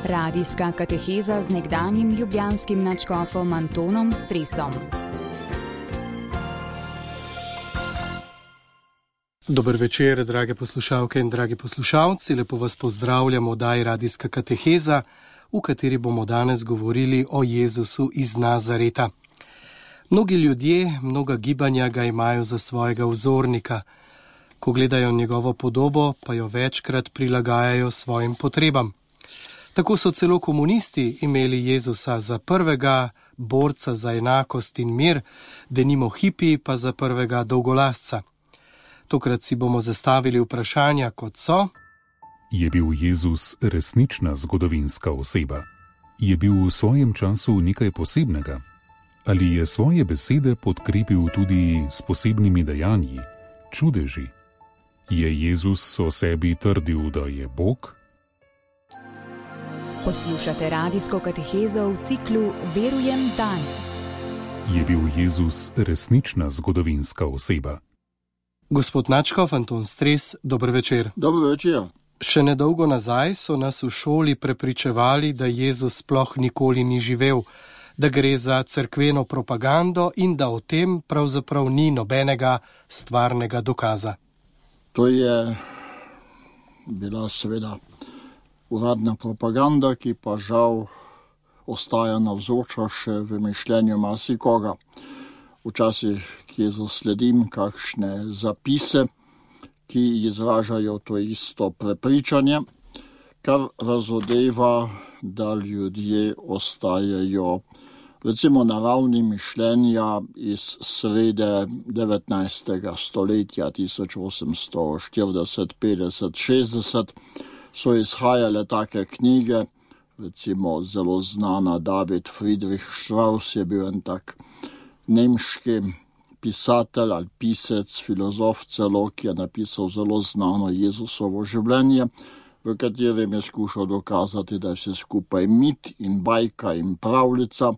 Radijska kateheza z nekdanjim ljubljanskim nadškofom Antonom Stresom. Dober večer, drage poslušalke in dragi poslušalci. Lepo vas pozdravljamo v oddaji Radijska kateheza, v kateri bomo danes govorili o Jezusu iz Nazareta. Mnogi ljudje, mnoga gibanja ga imajo za svojega vzornika. Ko gledajo njegovo podobo, pa jo večkrat prilagajajo svojim potrebam. Tako so celo komunisti imeli Jezusa za prvega borca za enakost in mir, denimo hipi pa za prvega dolgolasca. Tokrat si bomo zastavili vprašanja, kot so: Je bil Jezus resnična zgodovinska oseba? Je bil v svojem času nekaj posebnega? Ali je svoje besede podkrepil tudi s posebnimi dejanji, čudeži? Je Jezus o sebi trdil, da je Bog? Poslušate radijsko katehezo v ciklu Verujem danes. Je bil Jezus resnična zgodovinska oseba? Gospod nadškof Anton Stres, dober večer. Dobro večer. Še nedolgo nazaj so nas v šoli prepričevali, da Jezus sploh nikoli ni živel, da gre za cerkveno propagando in da o tem pravzaprav ni nobenega stvarnega dokaza. To je bila seveda uradna propaganda, ki pa žal ostaja navzoča še v mišljenju marsikoga. Včasih, ki zasledim kakšne zapise, ki izražajo to isto prepričanje, kar razodeva, da ljudje ostajajo recimo na ravni mišljenja iz srede 19. stoletja 1840, 50, 60, so izhajale take knjige, recimo zelo znana David Friedrich Strauss je bil en tak nemški pisatelj ali pisec, filozof celo, ki je napisal zelo znano Jezusovo življenje, v katerem je skušal dokazati, da je vse skupaj mit in bajka in pravljica,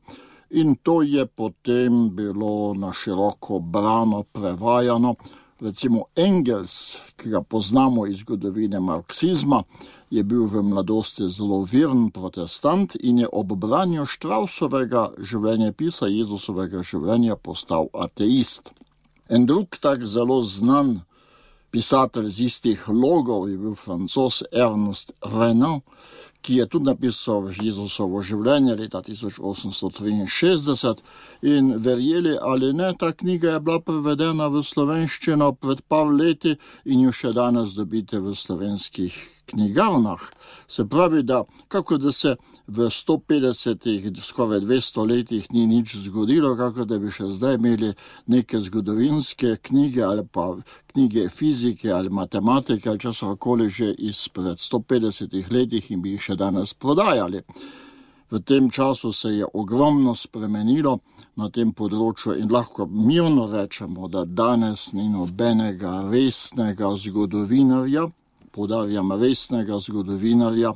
in to je potem bilo na široko brano, prevajano. Recimo Engels, ki ga poznamo iz zgodovine marksizma, je bil v mladosti zelo veren protestant in je ob branju Straussovega življenjepisa, Jezusovega življenja, postal ateist. En drug tak zelo znan pisatelj z istih logov je bil Francoz Ernest Renan, ki je tudi napisal Jezusovo življenje leta 1863 in verjeli ali ne, ta knjiga je bila prevedena v slovenščino pred par leti in jo še danes dobite v slovenskih knjigarnah. Se pravi, da kako da se v 150, skoraj 200 letih ni nič zgodilo, kako da bi še zdaj imeli neke zgodovinske knjige ali pa knjige fizike ali matematike ali česarkoli že izpred 150 letih in bi jih še danes prodajali. V tem času se je ogromno spremenilo na tem področju in lahko mirno rečemo, da danes ni nobenega resnega zgodovinarja, poudarjam resnega zgodovinarja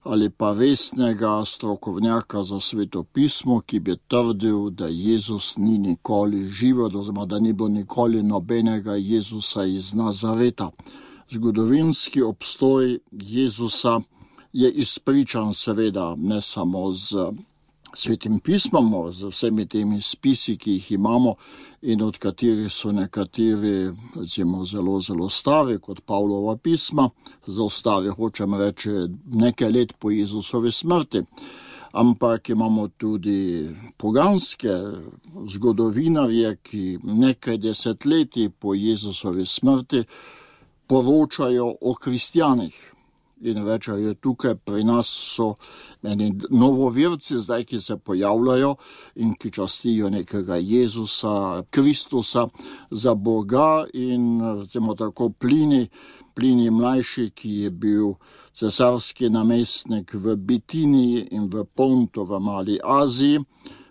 ali pa resnega strokovnjaka za svetopismo, ki bi trdil, da Jezus ni nikoli živel, oziroma da ni bilo nikoli nobenega Jezusa iz Nazareta. Zgodovinski obstoj Jezusa je izpričan seveda ne samo z svetim pismom, z vsemi temi spisi, ki jih imamo in od katerih so nekateri recimo zelo, zelo stari, kot Pavlova pisma, zelo stari, hočem reči, nekaj let po Jezusovi smrti. Ampak imamo tudi poganske zgodovinarje, ki nekaj desetletij po Jezusovi smrti poročajo o kristjanih. In rečejo, tukaj pri nas so eni novovirci zdaj, ki se pojavljajo in ki častijo nekega Jezusa, Kristusa za Boga in recimo tako Plini mlajši, ki je bil cesarski namestnik v Bitiniji in v Pontu v Mali Aziji,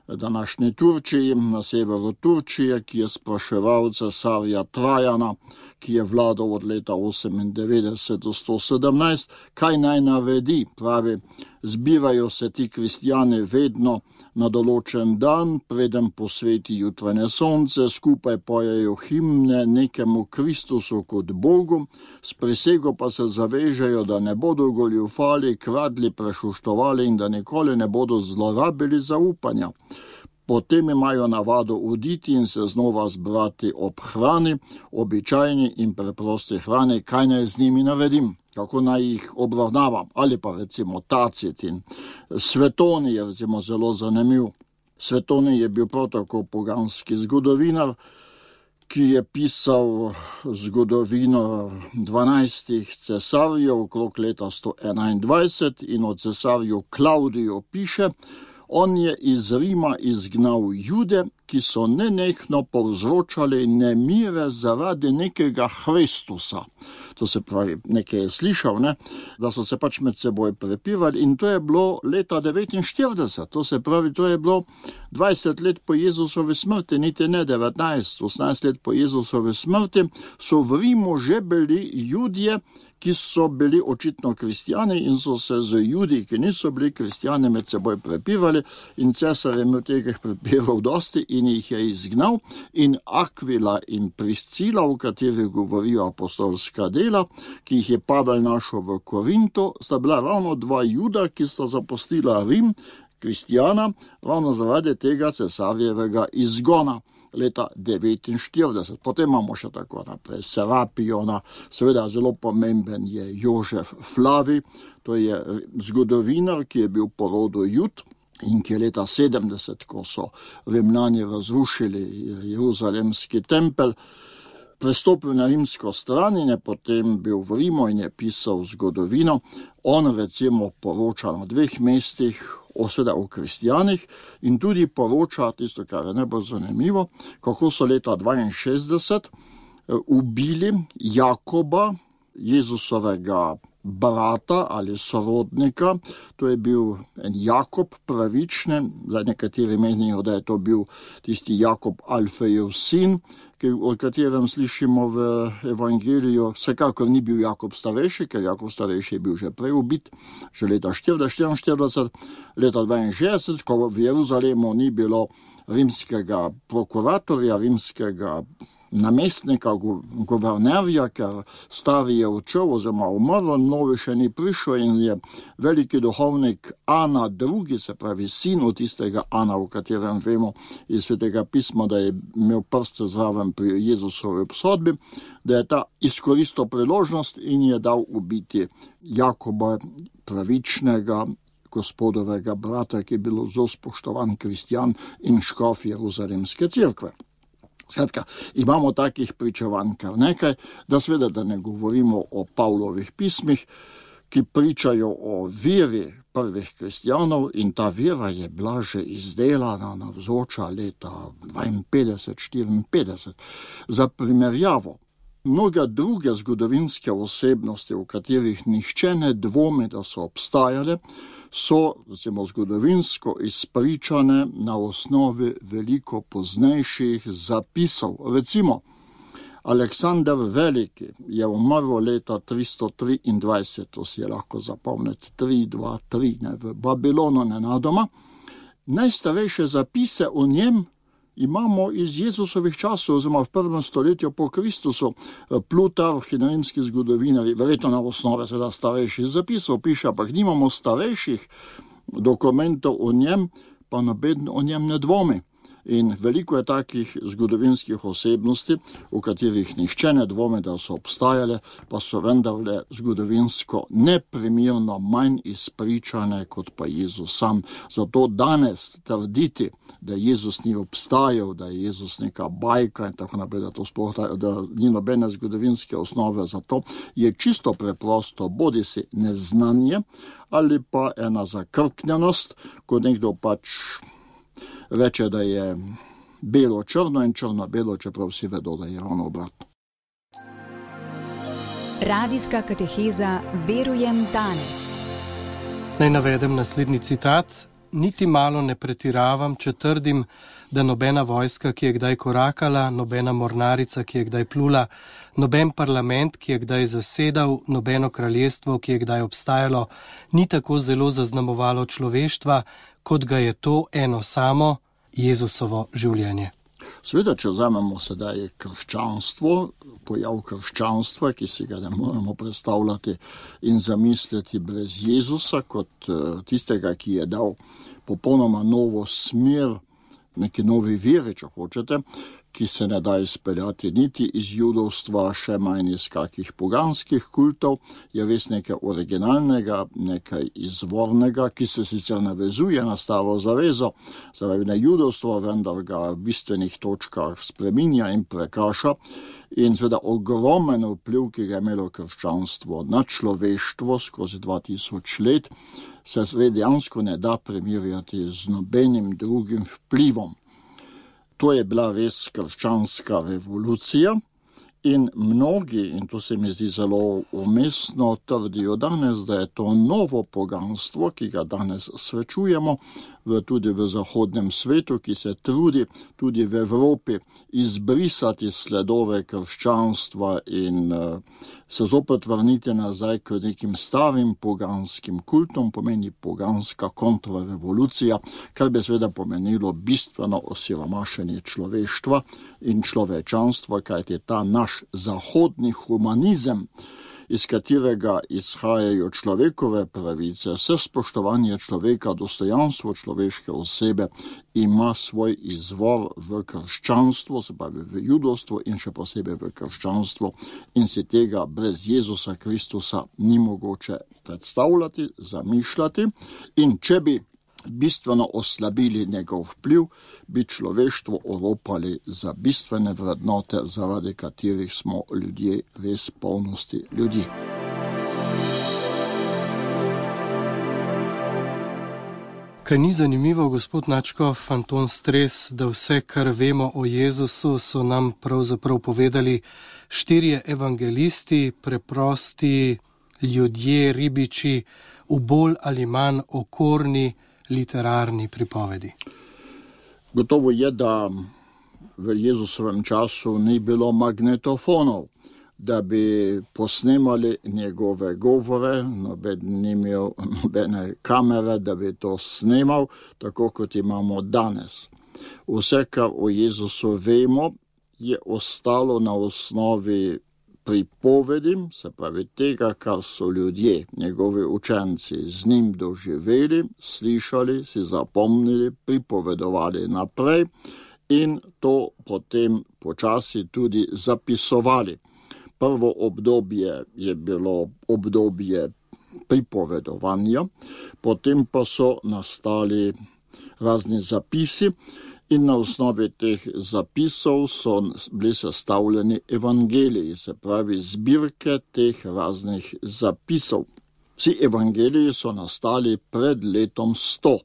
današnji Turčiji, na severu Turčije, ki je spraševal cesarja Trajana, ki je vladal od leta 98 do 117, kaj naj naredi? Pravi, zbirajo se ti kristjani vedno na določen dan, preden posveti jutranje sonce, skupaj pojejo himne nekemu Kristusu kot Bogu, s prisego pa se zavežejo, da ne bodo goljufali, kradli, prešuštovali in da nikoli ne bodo zlorabili zaupanja. Potem imajo navado oditi in se znova zbrati ob hrani, običajni in preprosti hrani, kaj naj z njimi naredim, kako naj jih obravnavam, ali pa recimo Tacit in Svetoni je recimo zelo zanimiv. Svetoni je bil prav tako poganski zgodovinar, ki je pisal zgodovino 12 cesarjev okrog leta 121 in o cesarju Klavdiju piše: on je iz Rima izgnal Jude, ki so nenehno povzročali nemire zaradi nekega Hristusa. To se pravi, nekaj je slišal, da so se pač med seboj prepirali in to je bilo leta 49. To se pravi, to je bilo 20 let po Jezusovi smrti, niti ne 19, 18 let po Jezusovi smrti, so v Rimu že bili Judje, ki so bili očitno kristjani in so se z Judi, ki niso bili kristjani, med seboj prepirali in cesar je imel teh prepirov dosti in jih je izgnal in Akvila in Priscila, o kateri govorijo apostolska dela, ki jih je Pavel našel v Korintu, sta bila ravno dva Juda, ki sta zapustila Rim, kristjana, ravno zaradi tega cesarjevega izgona leta 49. Potem imamo še tako naprej Serapiona, seveda zelo pomemben je Jožef Flavij, to je zgodovinar, ki je bil po rodu Jud in ki je leta 70, ko so Rimljani razrušili Jeruzalemski tempelj, prestopil na rimsko stran in je potem bil v Rimu in je pisal zgodovino. On recimo poroča na 2 mestih, seveda o kristjanih in tudi poroča tisto, kar je najbolj zanimivo, kako so leta 62 ubili Jakoba, Jezusovega brata ali sorodnika. To je bil en Jakob pravični, zdaj nekateri menijo, da je to bil tisti Jakob Alfejev sin, o katerem slišimo v evangeliju. Vsekakor ni bil Jakob starejši, ker Jakob starejši je bil že prej ubit, že leta 44, leta 62, ko v Jeruzalemu ni bilo rimskega prokuratorja, rimskega namestnika, guvernerja, ker stari je odšel oziroma umrl, novi še ni prišel in je veliki duhovnik Ana II, se pravi sin od tistega Ana, o katerem vemo iz Svetega pisma, da je imel prste zraven pri Jezusovi obsodbi, da je ta izkoristil priložnost in je dal ubiti Jakoba pravičnega, gospodovega brata, ki je bil zelo spoštovan kristjan in škof Jeruzalemske cerkve. Skratka, imamo takih pričevanj kar nekaj, da seveda da ne govorimo o Pavlovih pismih, ki pričajo o veri prvih kristjanov in ta vera je bila že izdelana navzoča leta 52-54. Za primerjavo, mnoge druge zgodovinske osebnosti, v katerih nihče ne dvomi, da so obstajale, so recimo zgodovinsko izpričane na osnovi veliko poznejših zapisov. Recimo, Aleksander Veliki je umrl leta 323, to si je lahko zapomniti, 323, v Babilonu nenadoma. Najstarejše zapise o njem imamo iz Jezusovih časov, oziroma v 1. stoletju po Kristusu. Plutarh in rimski zgodovinari, verjetno na osnovi seveda starejših zapisov piše, ampak nimamo starejših dokumentov o njem, pa noben o njem ne dvomi. In veliko je takih zgodovinskih osebnosti, v katerih nihče ne dvomi, da so obstajale, pa so vendarle zgodovinsko neprimerno manj izpričane kot pa Jezus sam. Zato danes trditi, da Jezus ni obstajal, da je Jezus neka bajka in tako naprej, da ni nobene zgodovinske osnove za to, je čisto preprosto bodisi neznanje ali pa ena zakrknjenost, ko nekdo pač reče, da je belo-črno in črno-belo, čeprav vsi vedo, da je ravno obratno. Radijska kateheza Verujem danes. Naj navedem naslednji citat. Niti malo ne pretiravam, če trdim, da nobena vojska, ki je kdaj korakala, nobena mornarica, ki je kdaj plula, noben parlament, ki je kdaj zasedal, nobeno kraljestvo, ki je kdaj obstajalo, ni tako zelo zaznamovalo človeštva, kot ga je to eno samo Jezusovo življenje. Seveda, če vzamemo sedaj krščanstvo, pojav krščanstva, ki si ga ne moremo predstavljati in zamisliti brez Jezusa, kot tistega, ki je dal popolnoma novo smer, neki novi veri, če hočete, ki se ne da izpeljati niti iz judovstva, še manj iz kakih poganskih kultov, je res nekaj originalnega, nekaj izvornega, ki se sicer navezuje na staro zavezo, zaradi na judovstvo, vendar ga v bistvenih točkah spreminja in prekraša. In seveda ogromen vpliv, ki ga je imelo krščanstvo na človeštvo skozi 2000 let, se dejansko ne da primerjati z nobenim drugim vplivom. To je bila res krščanska revolucija in mnogi, in to se mi zdi zelo umestno, trdijo danes, da je to novo poganstvo, ki ga danes srečujemo tudi v zahodnem svetu, ki se trudi tudi v Evropi izbrisati sledove krščanstva in se zopet vrniti nazaj k nekim starim poganskim kultom, pomeni poganska kontrarevolucija, kar bi seveda pomenilo bistveno osiromašenje človeštva in človečanstva, kajti ta naš zahodni humanizem, iz katerega izhajajo človekove pravice, vse spoštovanje človeka, dostojanstvo človeške osebe, ima svoj izvor v krščanstvu, se pravi v judovstvu in še posebej v krščanstvu, in si tega brez Jezusa Kristusa ni mogoče predstavljati, zamišljati, in če bi bistveno oslabili njegov vpliv, bi človeštvo oropali za bistvene vrednote, zaradi katerih smo ljudje res polnosti ljudi. Kaj ni zanimivo, gospod Načkov, Anton Stres, da vse, kar vemo o Jezusu, so nam pravzaprav povedali 4 evangelisti, preprosti ljudje, ribiči, v bolj ali manj okorni literarni pripovedi. Gotovo je, da v Jezusovem času ni bilo magnetofonov, da bi posnemali njegove govore, noben ni imel nobene kamere, da bi to snemal, tako kot imamo danes. Vse, kar o Jezusu vemo, je ostalo na osnovi pripovedi, se pravi tega, kar so ljudje, njegovi učenci, z njim doživeli, slišali, si zapomnili, pripovedovali naprej in to potem počasi tudi zapisovali. Prvo obdobje je bilo obdobje pripovedovanja, potem pa so nastali razni zapisi, in na osnovi teh zapisov so bili sestavljeni evangeliji, se pravi zbirke teh raznih zapisov. Vsi evangeliji so nastali pred letom 100,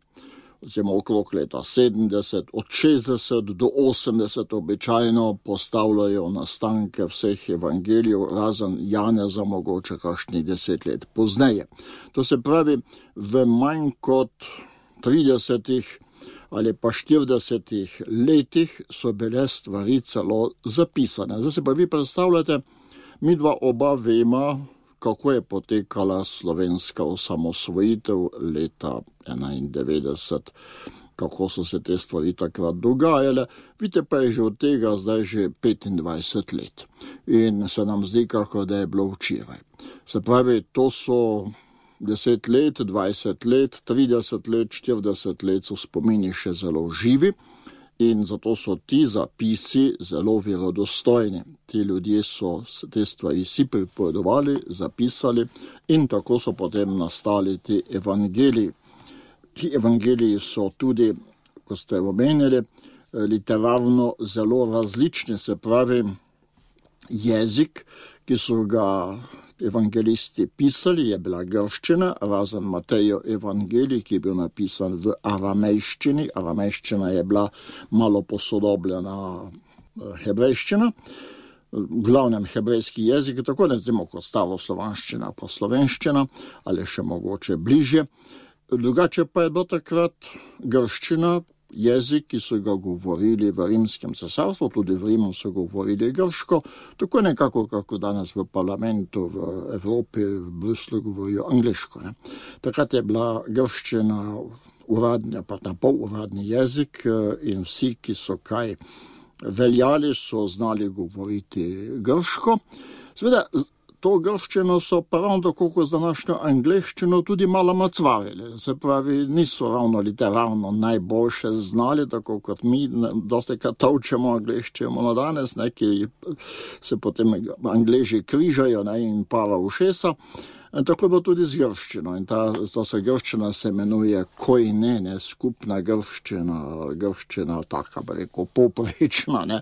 oziroma okrog leta 70, od 60 do 80 običajno postavljajo nastanke vseh evangelijev, razen Janeza mogoče kakšnih 10 let pozneje. To se pravi, v manj kot 30 ali pa 40 letih so bile stvari celo zapisane. Zdaj se pa vi predstavljate, mi dva oba vema, kako je potekala slovenska osamosvojitev leta 91, kako so se te stvari takrat dogajale. Vidite pa je že od tega zdaj že 25 let. In se nam zdi, kako da je bilo včeraj. Se pravi, to so 10 let, 20 let, 30 let, 40 let so spomini še zelo živi in zato so ti zapisi zelo verodostojni. Ti ljudje so te stvari si pripovedovali, zapisali in tako so potem nastali ti evangeliji. Ti evangeliji so tudi, ko ste omenili, literarno zelo različni, se pravi jezik, ki so ga evangelisti pisali, je bila grščina, razen Matejev evangelij, ki je bil napisan v aramejščini. Aramejščina je bila malo posodobljena hebrejščina, v glavnem hebrejski jezik, tako ne znamo kot staroslovanščina pa slovenščina, ali še mogoče bližje. Drugače pa je bila takrat grščina jezik, ki so ga govorili v rimskem cesarstvu, tudi v Rimu so govorili grško, tako nekako, kako danes v parlamentu v Evropi, v Bruslu govorijo angliško. Ne. Takrat je bila grščina uradni, pa na pol uradni jezik in vsi, ki so kaj veljali, so znali govoriti grško. Seveda, to grščino so pa ravno tako kot z današnjo angleščino tudi malo macvarili. Se pravi, niso ravno literarno najboljše znali, tako kot mi, dosti krat tolčemo angleščino na danes, ki se potem Angleži križajo in pala ušesa. Tako je bilo tudi z grščino in ta grščina se imenuje koine, skupna grščina taka, bi rekel, poprečna,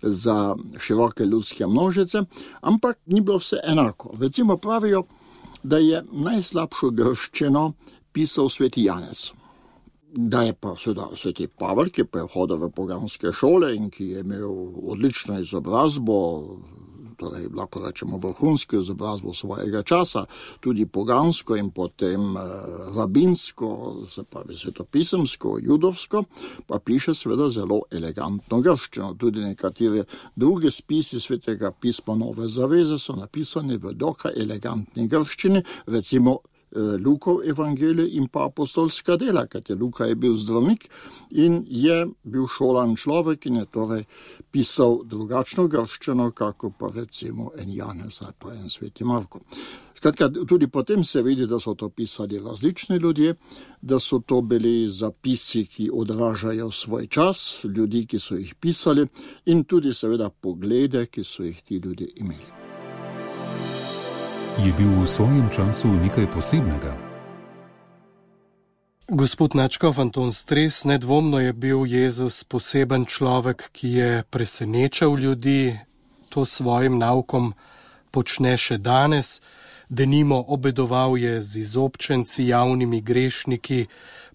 za široke ljudske množice, ampak ni bilo vse enako. Recimo pravijo, da je najslabšo grščino pisal sveti Janez. Da je pa sveti Pavel, ki pa je hodil v poganske šole in ki je imel odlično izobrazbo, torej lahko rečemo vrhunsko izobrazbo svojega časa, tudi pogansko in potem rabinsko, se pravi svetopisemsko, judovsko, pa piše seveda zelo elegantno grščino. Tudi nekatere druge spisi svetega pisma Nove zaveze so napisani v dokaj elegantni grščini, recimo Lukov evangelij in pa apostolska dela, kajti Luka je bil zdravnik in je bil šolan človek in je torej pisal drugačno grščino, kako pa recimo en Janez ali pa en sveti Marko. Skratka, tudi potem se vidi, da so to pisali različni ljudje, da so to bili zapisi, ki odražajo svoj čas, ljudi, ki so jih pisali in tudi seveda poglede, ki so jih ti ljudje imeli. Je bil v svojem času nekaj posebnega? Gospod Načkov Anton Stres, nedvomno je bil Jezus poseben človek, ki je presenečal ljudi, to svojim naukom počne še danes, denimo obedoval je z izobčenci, javnimi grešniki,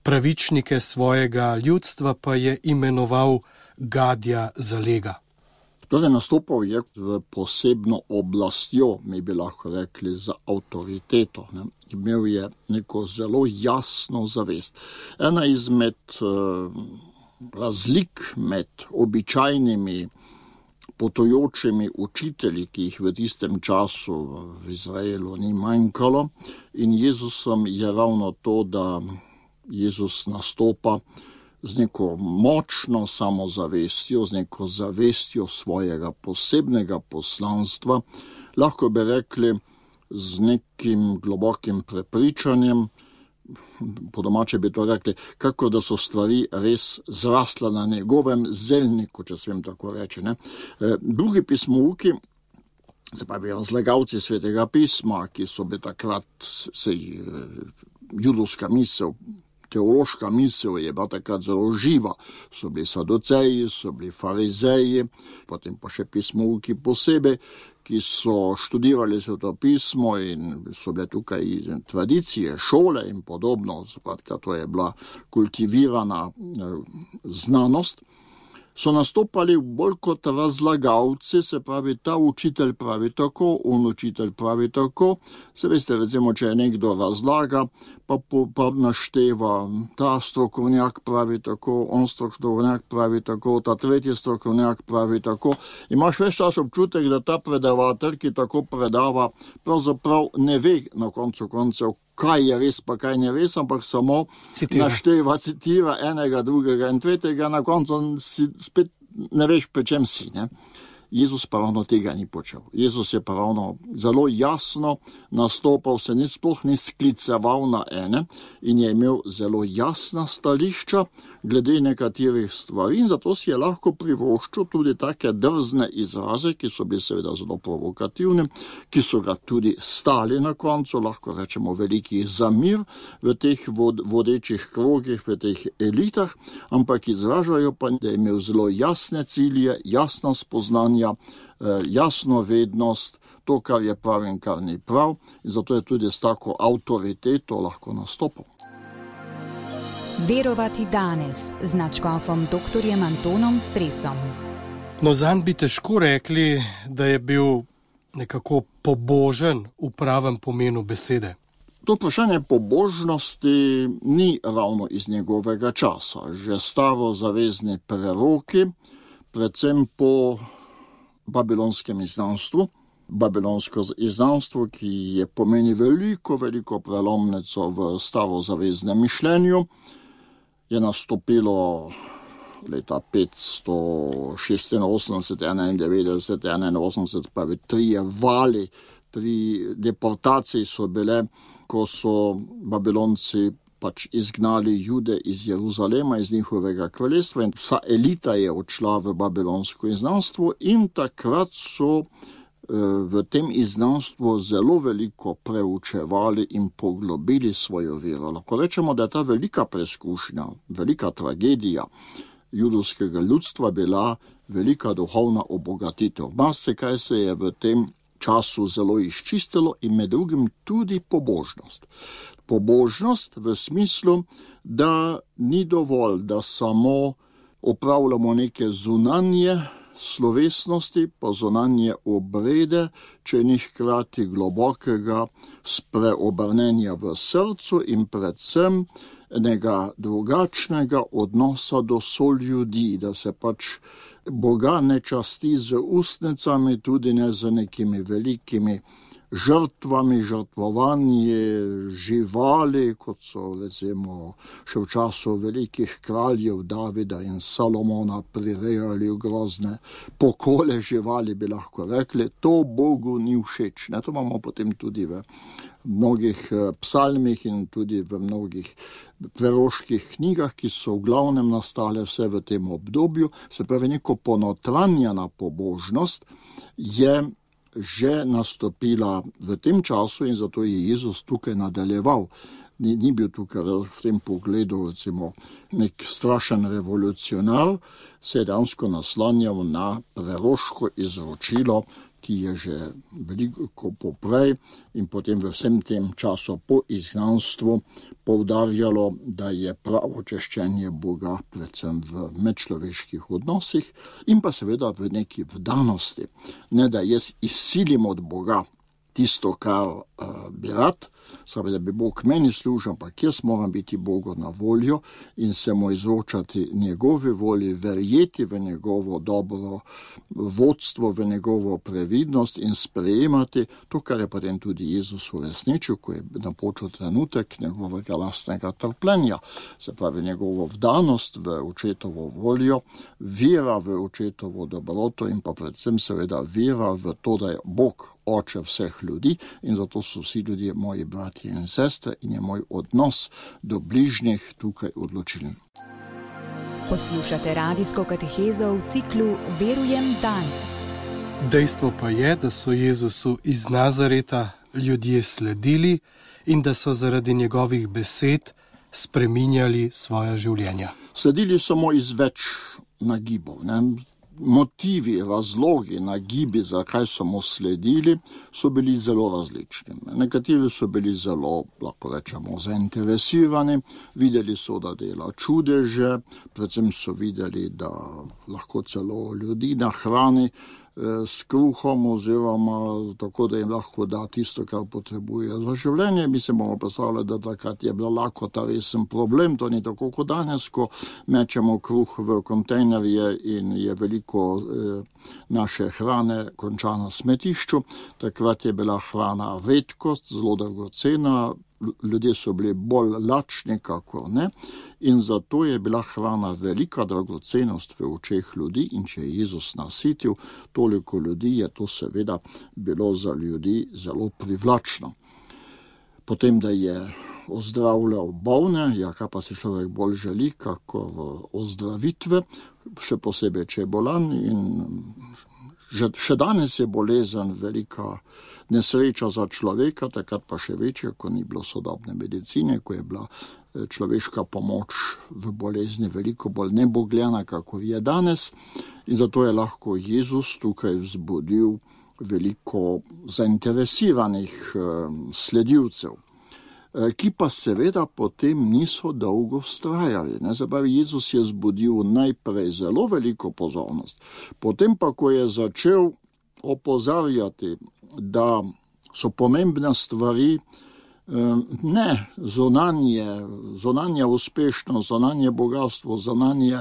pravičnike svojega ljudstva pa je imenoval gadja za lega. Torej nastopal je v posebno oblastjo, mi bi lahko rekli, za avtoriteto. Imel je neko zelo jasno zavest. Ena izmed razlik med običajnimi potujočimi učitelji, ki jih v tistem času v Izraelu ni manjkalo, in Jezusom je ravno to, da Jezus nastopa z neko močno samozavestjo, z neko zavestjo svojega posebnega poslanstva, lahko bi rekli z nekim globokim prepričanjem, po domače bi to rekli, kako da so stvari res zrasle na njegovem zelniku, če smem tako reči. Drugi pismouki, se pravi razlagalci svetega pisma, ki so bili takrat judovska misel, teološka misel je bila takrat zelo živa. So bili saduceji, so bili farizeji, potem pa še pismouki posebej, ki so študirali sveto pismo in so bile tukaj tradicije, šole in podobno. Skratka, to je bila kultivirana znanost. So nastopali bolj kot razlagalci, se pravi, ta učitelj pravi tako, on učitelj pravi tako. Se veste, recimo, če je nekdo razlaga, pa našteva, ta strokovnjak pravi tako, on strokovnjak pravi tako, ta tretji strokovnjak pravi tako. Imaš ves čas občutek, da ta predavatelj, ki tako predava, pravzaprav ne ve na koncu koncev, kaj je res, pa kaj ne res, ampak samo našteva, citira enega, drugega in tretjega, na koncu si spet ne veš, pri čem si, ne? Jezus pa ravno tega ni počel. Jezus je pa ravno zelo jasno nastopal, se sploh ni skliceval na ene in je imel zelo jasna stališča glede nekaterih stvari in zato si je lahko privoščil tudi take drzne izraze, ki so bili seveda zelo provokativni, ki so ga tudi stali na koncu, lahko rečemo velikih zamir v teh vodečih krogih, v teh elitah, ampak izražajo pa, da je imel zelo jasne cilje, jasna spoznanja, jasno vednost, to, kar je prav in kar ni prav, in zato je tudi s tako avtoriteto lahko nastopal. Verovati danes z nadškofom dr. Antonom Stresom. No, zanj bi težko rekli, da je bil nekako pobožen v pravem pomenu besede. To vprašanje pobožnosti ni ravno iz njegovega časa. Že starozavezni preroki, predvsem po babilonskem izgnanstvu, babilonsko izgnanstvo, ki je pomeni veliko prelomnico v starozaveznem mišljenju, je nastopilo leta 586, 91, 81, pa trije vali, 3 deportacije so bile, ko so Babilonci izgnali Jude iz Jeruzalema, iz njihovega kraljestva, in vsa elita je odšla v babilonsko izgnanstvo in takrat so v tem izgnanstvu zelo veliko preučevali in poglobili svojo vero. Lahko rečemo, da je ta velika preizkušnja, velika tragedija judovskega ljudstva bila velika duhovna obogatitev. Marsikaj se je v tem času zelo izčistilo in med drugim tudi pobožnost. Pobožnost v smislu, da ni dovolj, da samo opravljamo neke zunanje slovesnosti, pa zunanje obrede, če ni hkrati globokega spreobrnenja v srcu in predvsem enega drugačnega odnosa do soljudi, da se Boga ne časti z ustnicami, tudi ne z nekimi velikimi žrtvami, žrtvovanje živali, kot so recimo še v času velikih kraljev Davida in Salomona prirejali grozne pokole živali, bi lahko rekli. To Bogu ni všeč. To imamo potem tudi v mnogih psalmih in tudi v mnogih preroških knjigah, ki so v glavnem nastale vse v tem obdobju. Se pravi, neko ponotranjena pobožnost je že nastopila v tem času in zato je Jezus tukaj nadaljeval. Ni bil tukaj v tem pogledu recimo nek strašen revolucionar, se je dejansko naslanjal na preroško izročilo, ki je že veliko poprej in potem v vsem tem času po izgnanstvu poudarjalo, da je pravo češčenje Boga predvsem v medčloveških odnosih in pa seveda v neki vdanosti. Ne da jaz izsilim od Boga tisto, kar bi rad, spravi, da bi Bog meni služil, ampak jaz moram biti Bogu na voljo in se mu izročati njegovi volji, verjeti v njegovo dobro vodstvo, v njegovo previdnost in sprejemati to, kar je potem tudi Jezus uresničil, ko je napočil trenutek njegovega lastnega trpljenja. Se pravi, njegovo vdanost v očetovo voljo, vera v očetovo dobroto in pa predvsem seveda vera v to, da je Bog oče vseh ljudi in zato so vsi ljudje moji bratje in sestre in je moj odnos do bližnjih tukaj odločilen. Poslušate radijsko katehezo v ciklu Verujem danes. Dejstvo pa je, da so Jezusu iz Nazareta ljudje sledili in da so zaradi njegovih besed spreminjali svoja življenja. Sledili so mu iz več nagibov, Motivi, razlogi, nagibi, zakaj so mu sledili, so bili zelo različni. Nekateri so bili zelo, lahko rečemo, zainteresirani, videli so, da dela čudeže, predvsem so videli, da lahko celo ljudi nahrani s kruhom oziroma tako, da jim lahko da tisto, kar potrebuje za življenje. Mi se bomo predstavljali, da takrat je bila lakota resen problem, to ni tako kot danes, ko mečemo kruh v kontejnerje in je veliko naše hrane konča na smetišču. Takrat je bila hrana redkost, zelo dragocena, ljudje so bili bolj lačni, kakor ne, in zato je bila hrana velika dragocenost v očeh ljudi in če je Jezus nasitil toliko ljudi, je to seveda bilo za ljudi zelo privlačno. Potem, da je ozdravljal bolne, kaj pa si človek bolj želi, kakor ozdravitve, še posebej, če je bolan in še danes je bolezen velika nesreča za človeka, takrat pa še večja, ko ni bilo sodobne medicine, ko je bila človeška pomoč v bolezni veliko bolj nebogljena, kakor je danes. In zato je lahko Jezus tukaj vzbudil veliko zainteresiranih sledilcev, ki pa seveda potem niso dolgo vztrajali. Zabavi, Jezus je vzbudil najprej zelo veliko pozornost, potem pa, ko je začel opozarjati, da so pomembne stvari Ne zunanje uspešnost, zunanje bogatstvo, zunanje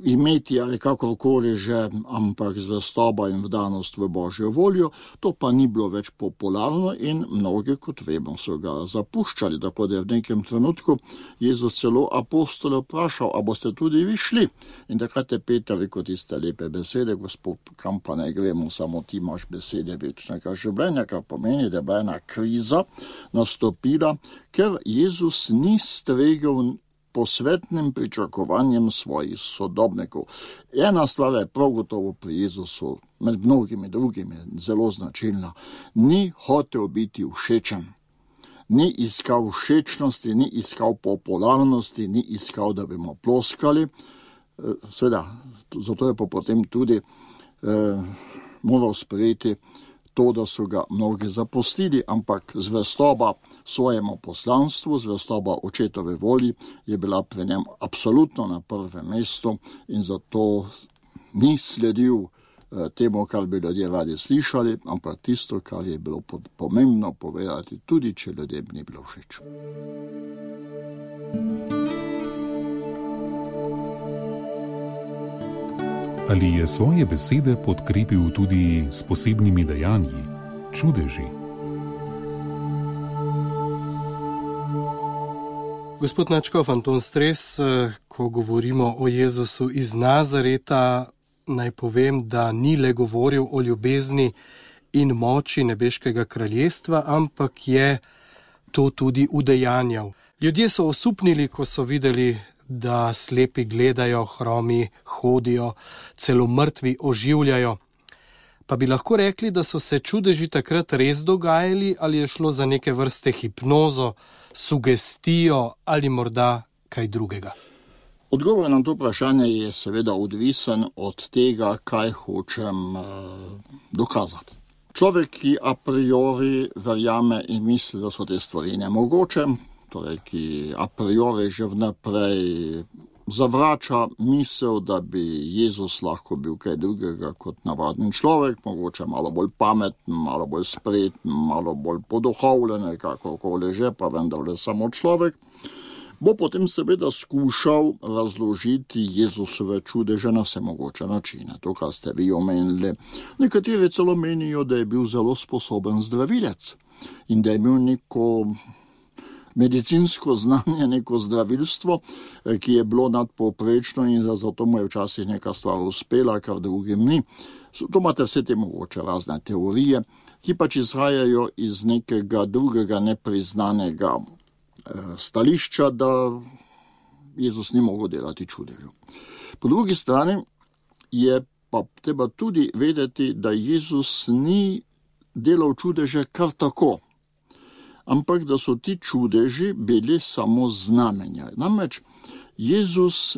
imeti ali kakorkoli že, ampak zvestoba in vdanost v Božjo voljo, to pa ni bilo več popularno in mnogi, kot vemo, so ga zapuščali, tako da je v nekem trenutku Jezus celo apostole vprašal, a boste tudi vi šli? In takrat je Peter rekel tiste lepe besede, Gospod, kam pa ne gremo, samo ti imaš besede večnega življenja, kar pomeni, da je ena kriza nastopila, ker Jezus ni stregel posvetnim pričakovanjem svojih sodobnikov. Ena stvar je prav gotovo pri Jezusu, med mnogimi drugimi, zelo značilna. Ni hotel biti všečen. Ni iskal všečnosti, ni iskal popularnosti, ni iskal, da bi mu ploskali. Seveda, zato je pa potem tudi moral sprejeti to, da so ga mnogi zapustili, ampak zvestoba svojemu poslanstvu, zvestoba očetove volji je bila pri njem absolutno na prvem mestu in zato ni sledil temu, kar bi ljudje radi slišali, ampak tisto, kar je bilo pomembno povedati, tudi če ljudem ni bilo všeč. Ali je svoje besede podkrepil tudi s posebnimi dejanji, čudeži? Gospod nadškof Anton Stres, ko govorimo o Jezusu iz Nazareta, naj povem, da ni le govoril o ljubezni in moči nebeškega kraljestva, ampak je to tudi udejanjal. Ljudje so osupnili, ko so videli, da slepi gledajo, hromi hodijo, celo mrtvi oživljajo. Pa bi lahko rekli, da so se čudeži takrat res dogajali, ali je šlo za neke vrste hipnozo, sugestijo ali morda kaj drugega? Odgovor na to vprašanje je seveda odvisen od tega, kaj hočem dokazati. Človek, ki a priori verjame in misli, da so te stvari nemogoče, torej ki a priori že vnaprej zavrača misel, da bi Jezus lahko bil kaj drugega kot navaden človek, mogoče malo bolj pameten, malo bolj spreten, malo bolj poduhovljen, kakorkoli že, pa vendarle samo človek, bo potem seveda skušal razložiti Jezusove čudeže na vse mogoče načine. To, kar ste vi omenili. Nekateri celo menijo, da je bil zelo sposoben zdravilec in da je imel neko medicinsko znanje, neko zdravilstvo, ki je bilo nadpovprečno in zato mu je včasih neka stvar uspela, kar drugim ni. To imate vse te mogoče razne teorije, ki pač izhajajo iz nekega drugega nepriznanega stališča, da Jezus ni mogel delati čudežev. Po drugi strani je pa treba tudi vedeti, da Jezus ni delal čudeže kar tako, ampak da so ti čudeži bili samo znamenja. Namreč Jezus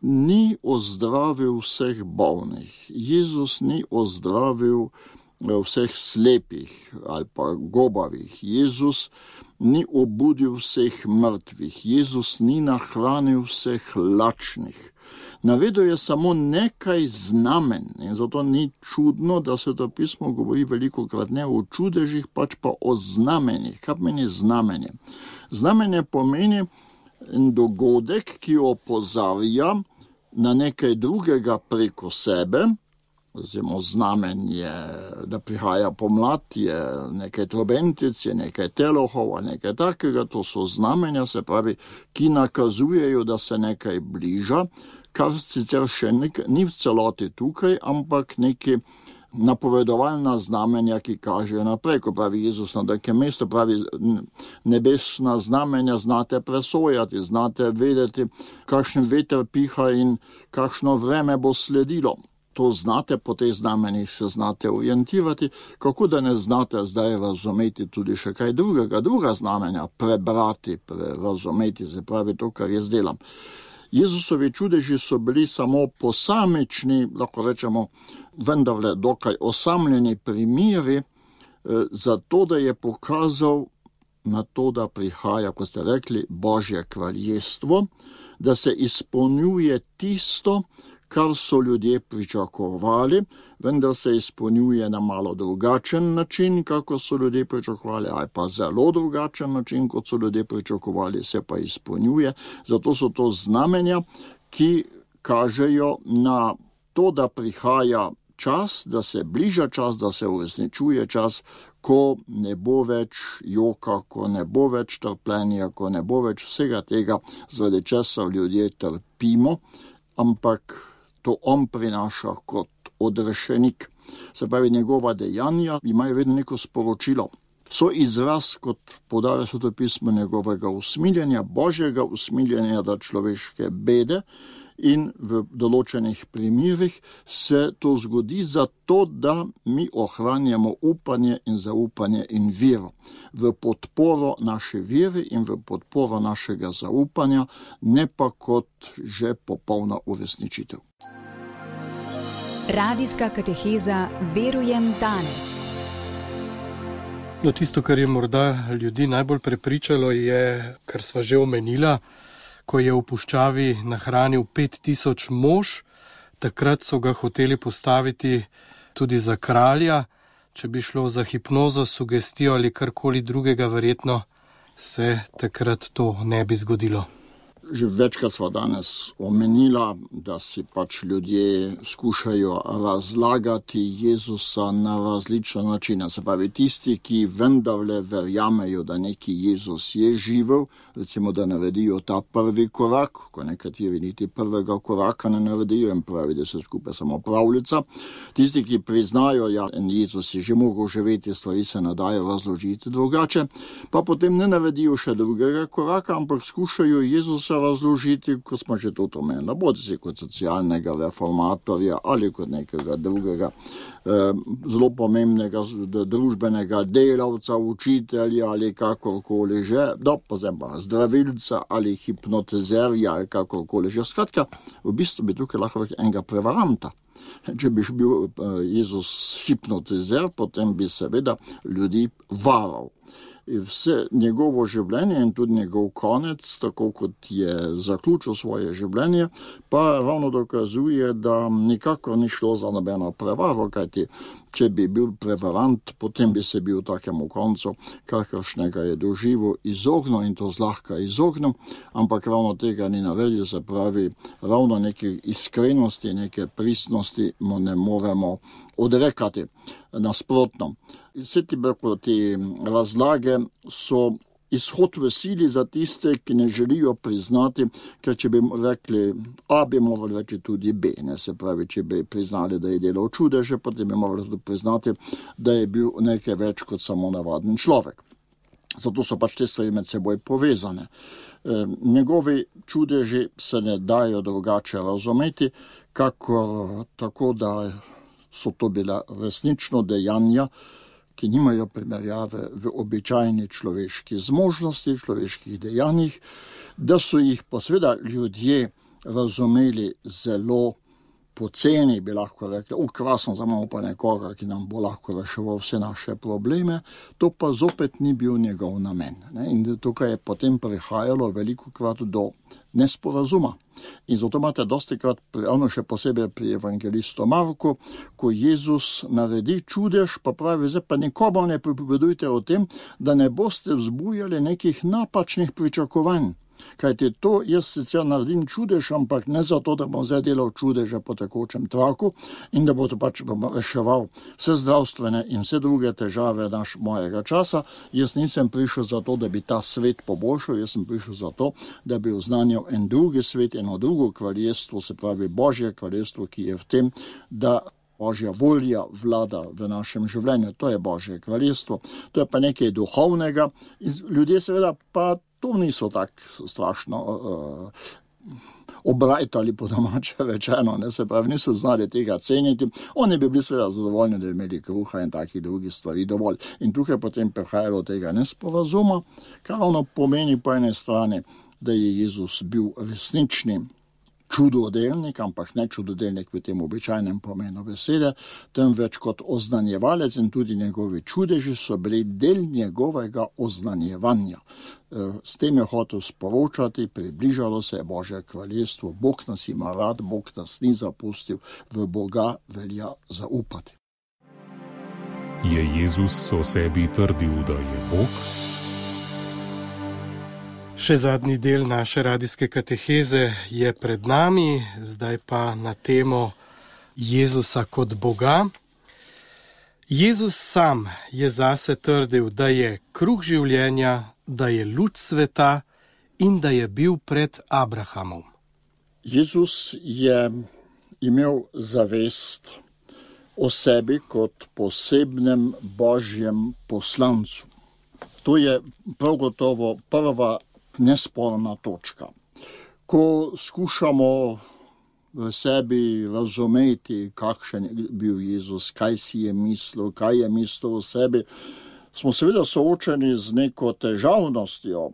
ni ozdravil vseh bolnih, Jezus ni ozdravil vseh slepih ali pa gobavih, Jezus ni obudil vseh mrtvih, Jezus ni nahranil vseh lačnih. Navedel je samo nekaj znamen in zato ni čudno, da Sveto pismo govori velikokrat ne o čudežih, pač pa o znamenjih. Kaj pomeni znamenje? Znamenje pomeni dogodek, ki opozarja na nekaj drugega preko sebe. Vzemo znamenje, da prihaja pomlad, je nekaj trobentic, je nekaj telohov, nekaj takega, to so znamenja, se pravi, ki nakazujejo, da se nekaj bliža, kar sicer še ni v celoti tukaj, ampak neki napovedovalna znamenja, ki kažejo naprej, ko pravi Jezus na nekem mestu, pravi nebesna znamenja znate presojati, znate vedeti, kakšen veter piha in kakšno vreme bo sledilo. To znate, po teh znamenjih se znate orientirati, kako da ne znate zdaj razumeti tudi še kaj drugega, druga znamenja, prebrati, razumeti, se pravi to, kar jaz delam. Jezusovi čudeži so bili samo posamični, lahko rečemo, vendarle dokaj osamljeni primeri, zato da je pokazal na to, da prihaja, kot ste rekli, Božje kraljestvo, da se izpolnjuje tisto, kar so ljudje pričakovali, vendar se izpolnjuje na malo drugačen način, kako so ljudje pričakovali, ali pa zelo drugačen način, kot so ljudje pričakovali, se pa izpolnjuje. Zato so to znamenja, ki kažejo na to, da prihaja čas, da se bliža čas, da se uresničuje čas, ko ne bo več joka, ko ne bo več trpljenja, ko ne bo več vsega tega, zaradi česa ljudje trpimo, ampak to on prinaša kot odrešenik. Se pravi, njegova dejanja imajo vedno neko sporočilo. So izraz, kot poudarja Sveto pismo, njegovega usmiljenja, božjega usmiljenja do človeške bede, in v določenih primerih se to zgodi zato, da mi ohranjamo upanje in zaupanje in vero. V podporo naše vere in v podporo našega zaupanja, ne pa kot že popolna uresničitev. Radijska kateheza Verujem danes. No, tisto, kar je morda ljudi najbolj prepričalo, je, kar sva že omenila, ko je v puščavi nahranil 5000 mož, takrat so ga hoteli postaviti tudi za kralja. Če bi šlo za hipnozo, sugestijo ali karkoli drugega, verjetno se takrat to ne bi zgodilo. Že večkrat sva danes omenila, da si pač ljudje skušajo razlagati Jezusa na različne načine. Se pravi, tisti, ki vendarle verjamejo, da neki Jezus je živel, recimo, da naredijo ta prvi korak, ko nekateri niti prvega koraka ne naredijo in pravi, da se skupaj samo pravljica. Tisti, ki priznajo, ja, en Jezus je že mogel živeti, stvari se ne dajo razložiti drugače, pa potem ne naredijo še drugega koraka, ampak skušajo Jezusa razložiti, kot smo že to omenili, bodi si kot socialnega reformatorja ali kot nekega drugega zelo pomembnega družbenega delavca, učitelja ali kakorkoli že, pa zdravilca ali hipnotizerja ali kakorkoli že. Skratka, v bistvu bi tukaj lahko enega prevaranta. Če bi bil Jezus hipnotizer, potem bi seveda ljudi varal. Vse njegovo življenje in tudi njegov konec, tako kot je zaključil svoje življenje, pa ravno dokazuje, da nikakor ni šlo za nobeno prevaro, kajti če bi bil prevarant, potem bi se bil takemu koncu, kakršnega je doživel, izognil in to zlahka izognil, ampak ravno tega ni naredil, se pravi, ravno neke iskrenosti, neke pristnosti mu ne moremo odrekati. Nasprotno. Vse te razlage so izhod v sili za tiste, ki ne želijo priznati, ker če bi rekli A, bi morali reči tudi B. Ne? Se pravi, če bi priznali, da je delal čudeže, potem bi morali tudi priznati, da je bil nekaj več kot samo navaden človek. Zato so pač te stvari med seboj povezane. Njegovi čudeži se ne dajo drugače razumeti, kakor tako, da so to bila resnično dejanja, ki nimajo primerjave v običajni človeški zmožnosti, v človeških dejanjih, da so jih pa seveda ljudje razumeli zelo poceni, bi lahko rekli, krasno, zamamo pa nekoga, ki nam bo lahko reševal vse naše probleme, to pa zopet ni bil njegov namen. Ne? In tukaj je potem prihajalo velikokrat do nesporazuma. In zato imate dostikrat, ravno še posebej pri evangelistu Marku, ko Jezus naredi čudež, pa pravi, zdaj pa nikomu ne pripovedujte o tem, da ne boste vzbujali nekih napačnih pričakovanj. Kajti to jaz sicer naredim čudež, ampak ne zato, da bom zdaj delal čudeže po tekočem traku in da bo to pač reševal vse zdravstvene in vse druge težave mojega časa. Jaz nisem prišel zato, da bi ta svet poboljšal, jaz sem prišel zato, da bi oznanjal en drugi svet, eno drugo kraljestvo, se pravi Božje kraljestvo, ki je v tem, da Božja volja vlada v našem življenju. To je Božje kraljestvo, to je pa nekaj duhovnega in ljudje seveda pa to niso tako strašno obrajtali po domače rečeno, ne, se pravi, niso znali tega ceniti. Oni bi bili seveda zadovoljni, da bi imeli kruha in takih drugih stvari dovolj. In tukaj potem prihajalo tega nesporazuma, kar ravno pomeni po eni strani, da je Jezus bil resnični čudodelnik, ampak ne čudodelnik v tem običajnem pomenu besede, temveč kot oznanjevalec, in tudi njegovi čudeži so bili del njegovega oznanjevanja. S tem je hotel sporočati, približalo se je Božje kraljestvo, Bog nas ima rad, Bog nas ni zapustil, v Boga velja zaupati. Je Jezus o sebi trdil, da je Bog? Še zadnji del naše radijske kateheze je pred nami, zdaj pa na temo Jezusa kot Boga. Jezus sam je zase trdil, da je kruh življenja, da je luč sveta in da je bil pred Abrahamom. Jezus je imel zavest o sebi kot posebnem Božjem poslancu. To je prav gotovo prva nesporna točka. Ko skušamo v sebi razumeti, kakšen je bil Jezus, kaj si je mislil, kaj je mislil o sebi, smo seveda soočeni z neko težavnostjo.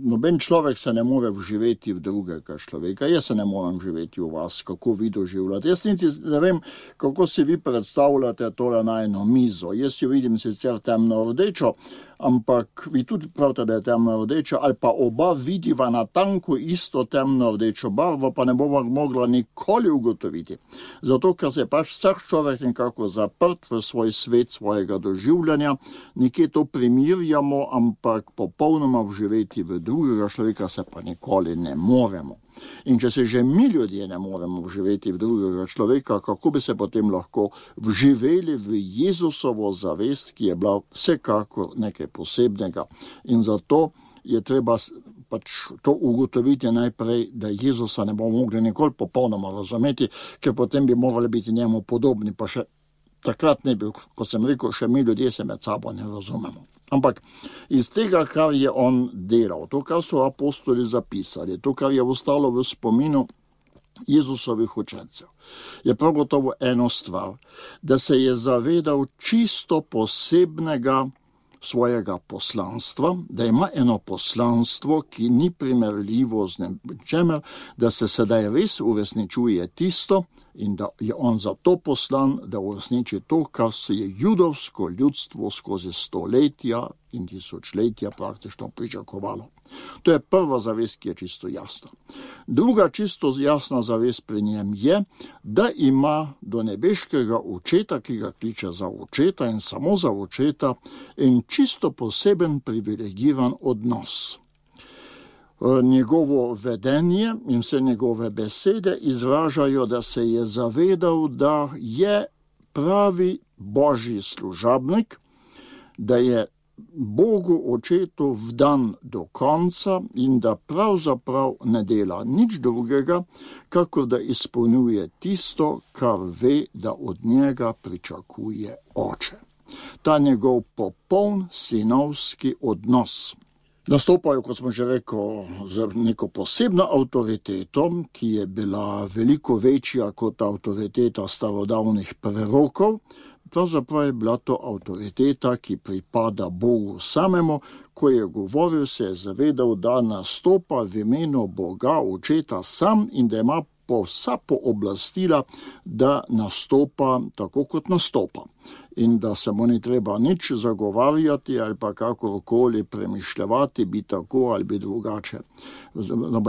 Noben človek se ne more vživeti v drugega človeka. Jaz se ne morem živeti v vas, kako vi doživljate. Jaz niti ne vem, kako si vi predstavljate tole najno mizo. Jaz jo vidim sicer temno rdečo, ampak vi tudi pravite, da je temno rdeča, ali pa oba vidiva na tanku isto temno rdečo barvo, pa ne bomo mogla nikoli ugotoviti. Zato, ker se je pač vsak človek nekako zaprt v svoj svet svojega doživljanja, nekje to primirjamo, ampak popolnoma vživeti v drugega človeka se pa nikoli ne moremo. In če se že mi ljudje ne moremo vživeti v drugega človeka, kako bi se potem lahko vživeli v Jezusovo zavest, ki je bila vsekakor nekaj posebnega. In zato je treba pač to ugotoviti najprej, da Jezusa ne bomo mogli nikoli popolnoma razumeti, ker potem bi morali biti njemu podobni, pa še takrat ne bil, kot sem rekel, še mi ljudje se med sabo ne razumemo. Ampak iz tega, kar je on delal, to, kar so apostoli zapisali, to, kar je ostalo v spominu Jezusovih učencev, je prav gotovo eno stvar, da se je zavedal čisto posebnega svojega poslanstva, da ima eno poslanstvo, ki ni primerljivo z ničemer, da se sedaj res uresničuje tisto in da je on zato poslan, da uresniči to, kar se je judovsko ljudstvo skozi stoletja in tisočletja praktično pričakovalo. To je prva zavest, ki je čisto jasna. Druga čisto jasna zavest pri njem je, da ima do nebeškega očeta, ki ga kliče za očeta in samo za očeta, in čisto poseben privilegiran odnos. Njegovo vedenje in vse njegove besede izražajo, da se je zavedal, da je pravi Božji služabnik, da je Bogu očetu vdan do konca in da pravzaprav ne dela nič drugega, kakor da izpolnjuje tisto, kar ve, da od njega pričakuje oče. Ta njegov popoln sinovski odnos nastopajo, kot smo že rekel, z neko posebno avtoriteto, ki je bila veliko večja kot avtoriteta starodavnih prerokov. Pravzaprav je bila to avtoriteta, ki pripada Bogu samemu. Ko je govoril, se je zavedal, da nastopa v imenu Boga očeta sam in da ima vsa pooblastila, da nastopa tako, kot nastopa. In da se mu ni treba nič zagovarjati ali pa kakorkoli premišljevati, bi tako ali bi drugače.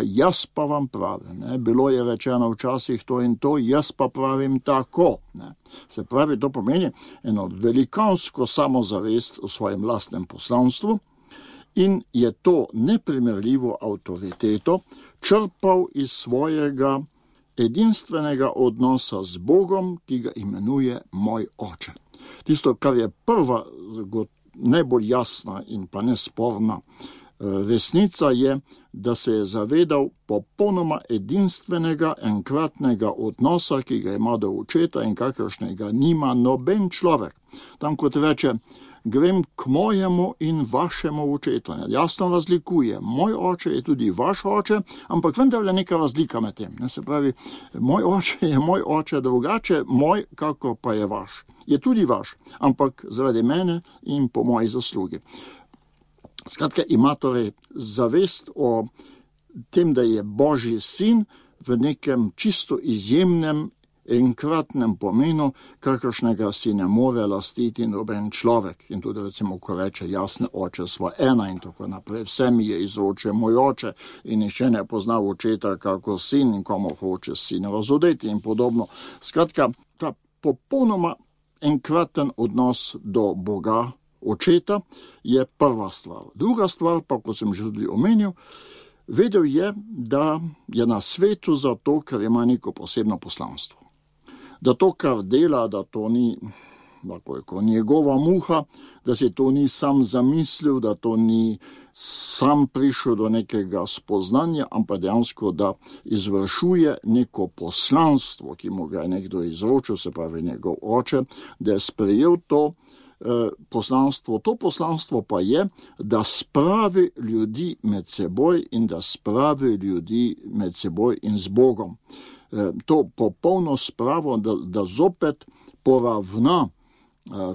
Jaz pa vam pravim, bilo je rečeno včasih to in to, jaz pa pravim tako. Se pravi, to pomeni eno velikansko samozavest v svojem lastnem poslanstvu in je to neprimerljivo avtoriteto črpal iz svojega edinstvenega odnosa z Bogom, ki ga imenuje moj oče. Tisto, kar je prva, najbolj jasna in pa nesporna resnica je, da se je zavedal popolnoma edinstvenega, enkratnega odnosa, ki ga ima do očeta in kakršnega nima noben človek. Tam, kot reče, grem k mojemu in vašemu očetu. Jasno razlikuje. Moj oče je tudi vaš oče, ampak vendar je neka razlika med tem. Se pravi, moj oče je moj oče drugače, moj, kako pa je vaš. Je tudi vaš, ampak zaradi mene in po moji zaslugi. Skratka, ima torej zavest o tem, da je Božji sin, v nekem čisto izjemnem enkratnem pomenu, kakršnega si ne more lastiti noben človek. In tudi recimo, ko reče jasne, oče sva ena in tako naprej, vse mi je izročil moj oče in nihče ne pozna očeta kako sin in komu hoče sin razodeti in podobno. Skratka, ta popolnoma enkraten odnos do Boga, očeta, je prva stvar. Druga stvar pa, kot sem že tudi omenil, vedel je, da je na svetu zato, ker ima neko posebno poslanstvo. Da to, kar dela, da to ni njegova muha, da se to ni sam zamislil, da to ni sam prišel do nekega spoznanja, ampak dejansko, da izvršuje neko poslanstvo, ki mu ga je nekdo izročil, se pravi njegov oče, da je sprejel to poslanstvo. To poslanstvo pa je, da spravi ljudi med seboj in da spravi ljudi med seboj in z Bogom. To popolno spravo, da zopet poravna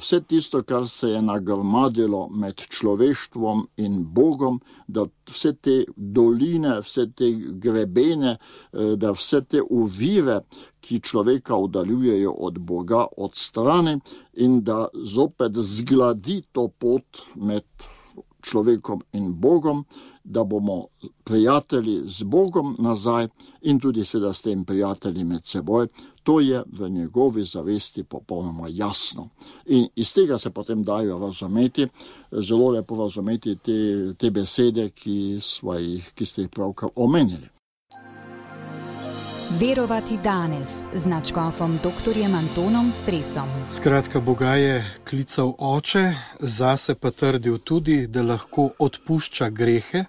vse tisto, kar se je nagrmadilo med človeštvom in Bogom, da vse te doline, vse te grebene, da vse te ovire, ki človeka oddaljujejo od Boga, odstrani in da zopet zgladi to pot med človekom in Bogom, da bomo prijatelji z Bogom nazaj in tudi seveda s tem prijatelji med seboj. To je v njegovi zavesti popolnoma jasno. In iz tega se potem dajo razumeti, zelo lepo razumeti te besede, ki ste jih pravkar omenili. Verovati danes z nadškofom dr. Antonom Stresom. Skratka, Boga je klical oče, zase pa trdil tudi, da lahko odpušča grehe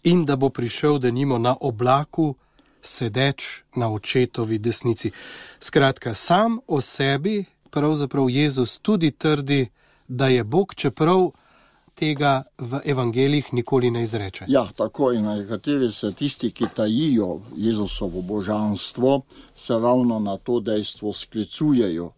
in da bo prišel denimo na oblaku, sedeč na očetovi desnici. Skratka, sam o sebi pravzaprav Jezus tudi trdi, da je Bog, čeprav tega v evangeljih nikoli ne izreče. Ja, tako in nekateri se tisti, ki tajijo Jezusovo božanstvo, se ravno na to dejstvo sklicujejo.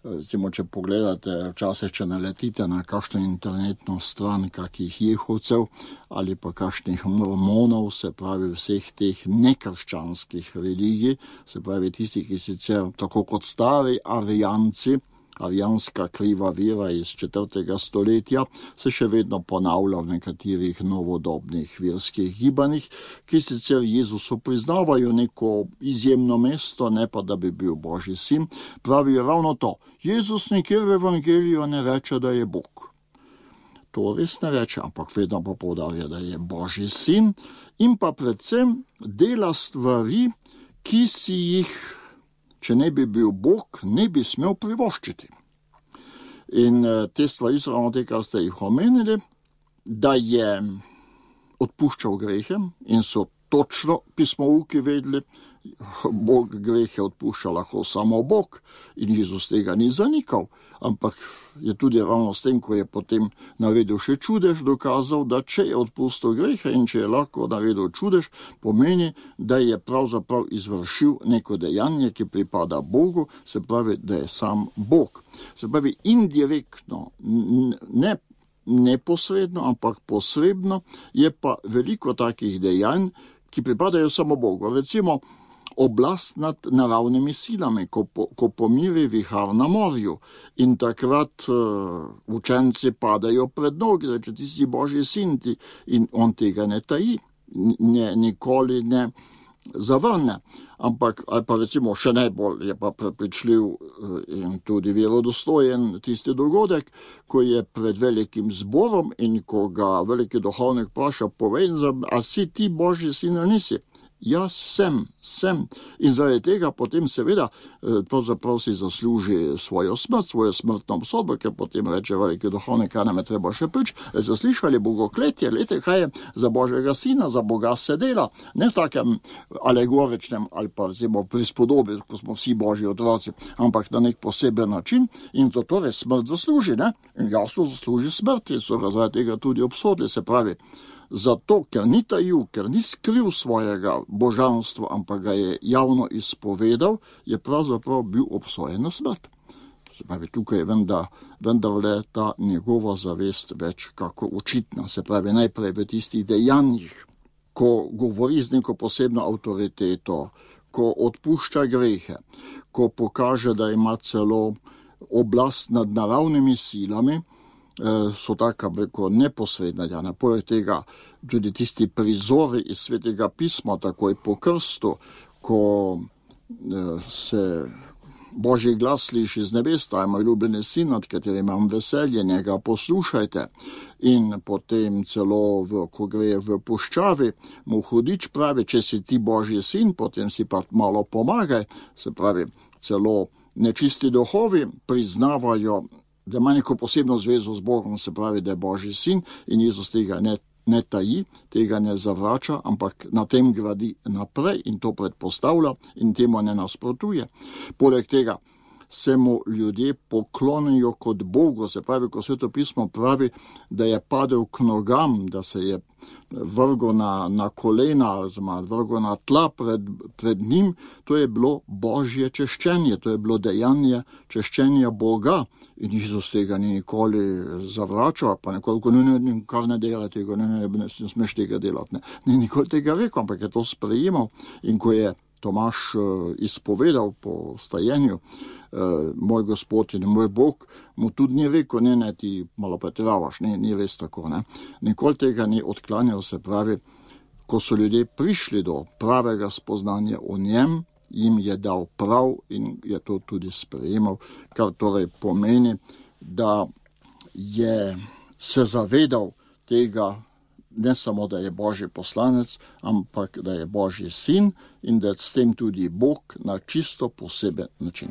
Recimo, če pogledate, včasih, če naletite na kakšno internetno stran kakih jehovcev ali pa kakšnih mormonov, se pravi vseh teh nekrščanskih religij, se pravi tisti, ki sicer tako kot stari arijanci, arijanska kriva vera iz 4. stoletja, se še vedno ponavlja v nekaterih novodobnih verskih gibanjih, ki sicer Jezusu priznavajo neko izjemno mesto, ne pa da bi bil Božji sin, pravijo ravno to. Jezus nikjer v evangeliju ne reče, da je Bog. To res ne reče, ampak vedno pa poudarja, da je Božji sin in pa predvsem dela stvari, ki si jih, če ne bi bil Bog, ne bi smel privoščiti. In te stvari so ravno te, kar ste jih omenili, da je odpuščal grehe in so točno pismouki vedeli, Bog grehe odpušča lahko samo Bog in Jezus tega ni zanikal, ampak je tudi ravno s tem, ko je potem naredil še čudež, dokazal, da če je odpustil grehe in če je lahko naredil čudež, pomeni, da je pravzaprav izvršil neko dejanje, ki pripada Bogu, se pravi, da je sam Bog. Se pravi, indirektno, ne neposredno, ampak posredno je pa veliko takih dejanj, ki pripadajo samo Bogu. Recimo, oblast nad naravnimi silami, ko pomiri vihar na morju in takrat učenci padajo pred nogi, da če ti si Božji sin in on tega ne taji, nikoli ne zavrne. Ampak, ali pa recimo še najbolj je pa prepričljiv in tudi verodostojen tisti dogodek, ko je pred velikim zborom in ko ga veliki duhovnik vpraša, povej, a si ti Božji sin ali nisi? Jaz sem. In zaradi tega potem seveda pravzaprav si zasluži svojo smrt, svojo smrtno obsodbo, ker potem reče veliki duhovnik, kaj nam je treba še prič, so slišali bogokletje, lete, kaj je za Božjega sina, za Boga se dela, ne v takem alegoričnem ali pa vzimo prispodobi, ko smo vsi Božji otroci, ampak na nek poseben način in to torej smrt zasluži, ne? In jasno zasluži smrt in so ga zaradi tega tudi obsodili, se pravi. Zato, ker ni tajil, ker ni skril svojega božanstva, ampak ga je javno izpovedal, je pravzaprav bil obsojen na smrt. Se pravi, tukaj je vendarle ta njegova zavest več kako očitna. Se pravi, najprej v tistih dejanjih, ko govori z neko posebno avtoriteto, ko odpušča grehe, ko pokaže, da ima celo oblast nad naravnimi silami, so taka neposredna dejanja. Poleg tega tudi tisti prizori iz Svetega pisma, takoj po krstu, ko se Božji glas sliši z nebes, ta je moj ljubljeni sin, nad katerim imam veselje, njega poslušajte. In potem celo, ko gre v puščavi, mu hudič pravi, če si ti Božji sin, potem si pa malo pomagaj. Se pravi, celo nečisti duhovi priznavajo, da ima neko posebno zvezo z Bogom, se pravi, da je Božji sin, in Jezus tega ne taji, tega ne zavrača, ampak na tem gradi naprej in to predpostavlja in temu ne nasprotuje. Poleg tega se mu ljudje poklonijo kot Bogu, se pravi, ko Sveto pismo pravi, da je padel k nogam, da se je vrgel na kolena, vrgel na tla pred njim, to je bilo Božje češčenje, to je bilo dejanje češčenja Boga. In Jezus tega ni nikoli zavračal, pa nekoliko kar ne dela tega, ne smeš tega delati. Ni nikoli tega rekel, ampak je to sprejemal. In ko je Tomaž izpovedal po stajenju, moj Gospod in moj Bog, mu tudi ni rekel, ne, ti malo pretiravaš, ni res tako. Ne. Nikoli tega ni odklanjal, se pravi, ko so ljudje prišli do pravega spoznanja o njem, jim je dal prav in je to tudi sprejemal, kar torej pomeni, da je se zavedal tega, ne samo, da je Božji poslanec, ampak da je Božji sin in da s tem tudi Bog na čisto poseben način.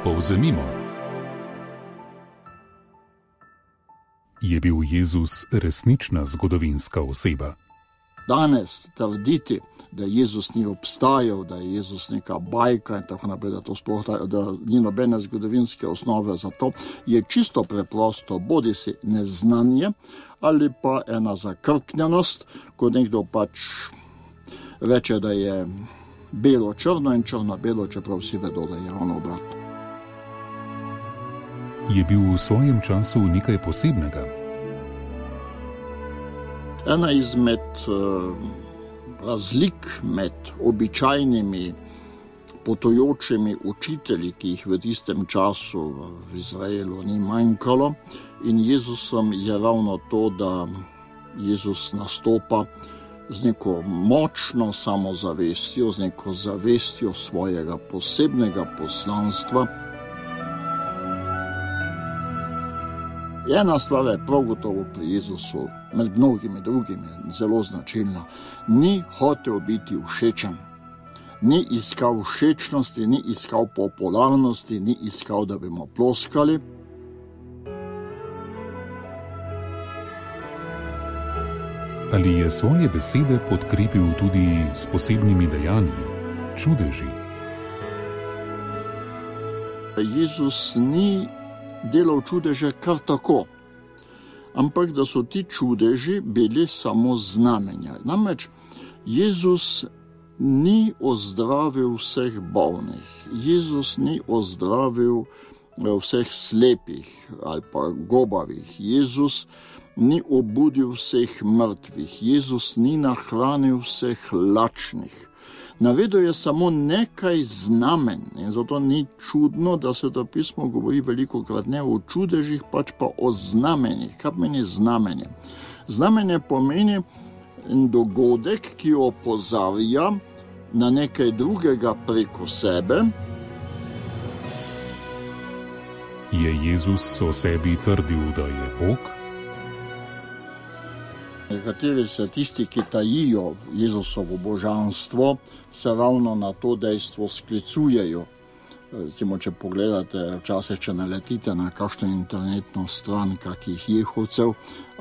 Povzemimo. Je bil Jezus resnična zgodovinska oseba? Danes trditi, da Jezus ni obstajal, da je Jezus neka bajka in tako naprej, da ni nobene zgodovinske osnove za to, je čisto preprosto bodisi neznanje ali pa ena zakrknjenost, ko nekdo pač reče, da je belo-črno in črno-belo, čeprav vsi vedo, da je ravno obratno. Je bil v svojem času nekaj posebnega? Ena izmed razlik med običajnimi potujočimi učitelji, ki jih v tistem času v Izraelu ni manjkalo, in Jezusom je ravno to, da Jezus nastopa z neko močno samozavestjo, z neko zavestjo svojega posebnega poslanstva. Ena stvar je prav gotovo pri Jezusu, med mnogimi drugimi, zelo značilna. Ni hotel biti všečen, ni iskal všečnosti, ni iskal popularnosti, ni iskal, da bi mu ploskali. Ali je svoje besede podkrepil tudi s posebnimi dejanji, čudeži? Jezus ni delal čudeže kar tako, ampak da so ti čudeži bili samo znamenja. Namreč Jezus ni ozdravil vseh bolnih, Jezus ni ozdravil vseh slepih ali pa gobavih, Jezus ni obudil vseh mrtvih, Jezus ni nahranil vseh lačnih. Navedel je samo nekaj znamen in zato ni čudno, da Sveto pismo govori velikokrat ne o čudežih, pač pa o znamenjih. Kaj pomeni znamenje? Znamenje pomeni dogodek, ki opozarja na nekaj drugega preko sebe. Je Jezus o sebi trdil, da je Bog? Nekateri se tisti, ki tajijo Jezusovo božanstvo, se ravno na to dejstvo sklicujejo. Recimo, če pogledate, včasih, če naletite na kakšno internetno stran kakih jehovcev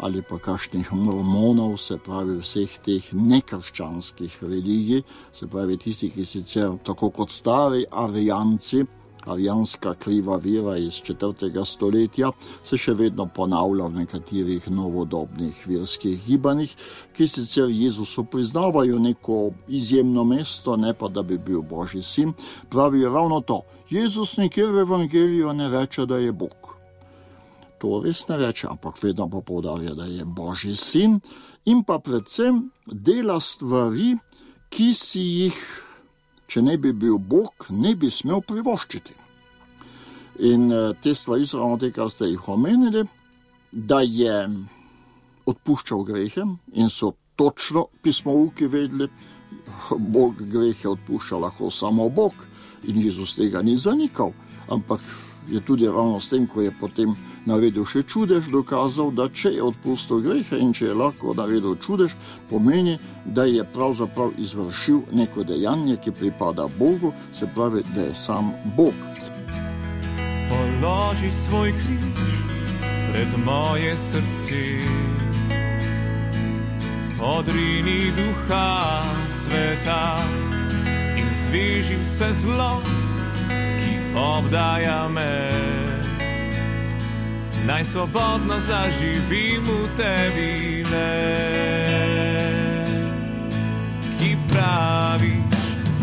ali pa kakšnih mormonov, se pravi vseh teh nekrščanskih religij, se pravi tisti, ki sicer tako kot stari arijanci, arijanska kriva vera iz 4. stoletja, se še vedno ponavlja v nekaterih novodobnih verskih gibanjih, ki sicer Jezusu priznavajo neko izjemno mesto, ne pa da bi bil Božji sin, pravijo ravno to. Jezus nikjer v evangeliju ne reče, da je Bog. to res ne reče, ampak vedno pa poudarja, da je Božji sin in pa predvsem dela stvari, ki si jih, če ne bi bil Bog, ne bi smel privoščiti. In te stvari so ravno te, kar ste jih omenili, da je odpuščal grehe in so točno pismouki vedeli, Bog grehe odpušča lahko samo Bog in Jezus tega ni zanikal, ampak je tudi ravno s tem, ko je potem naredil še čudež, dokazal, da če je odpustil grehe in če je lahko naredil čudež, pomeni, da je pravzaprav izvršil neko dejanje, ki pripada Bogu, se pravi, da je sam Bog. Položi svoj križ pred moje srce, odrini duha sveta in zveži vse zlo, ki obdaja me. Naj svobodno zaživim v tebi, ki praviš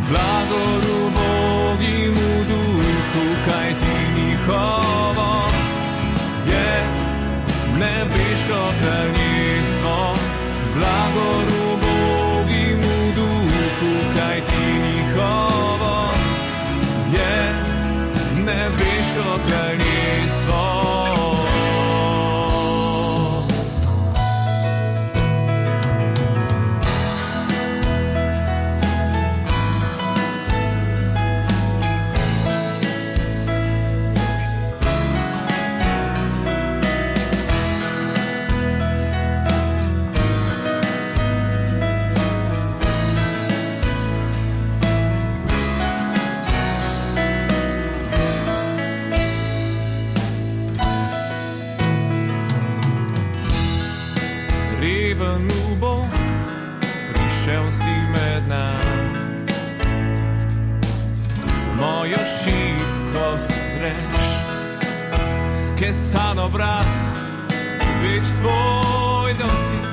blagoru Bogimu duhu, kaj ti njihovo je nebeško kraljestvo. Blagoru Bogimu duhu, kaj ti njihovo je nebeško kraljestvo. Kesan obraz, več tvoj dotik,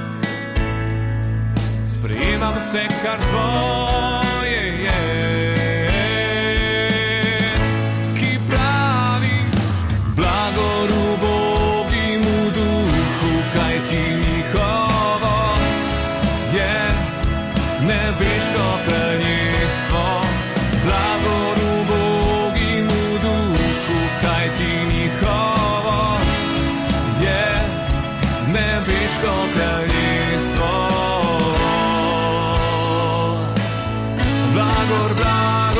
sprejemam vse, kar tvoje je. Ki praviš blagoru Bogimu duhu, kaj ti njihovo je nebeško kraljestvo. Blagoru Bogimu duhu, kaj ti njihovo nebeško kraljestvo. Blagor, blagor.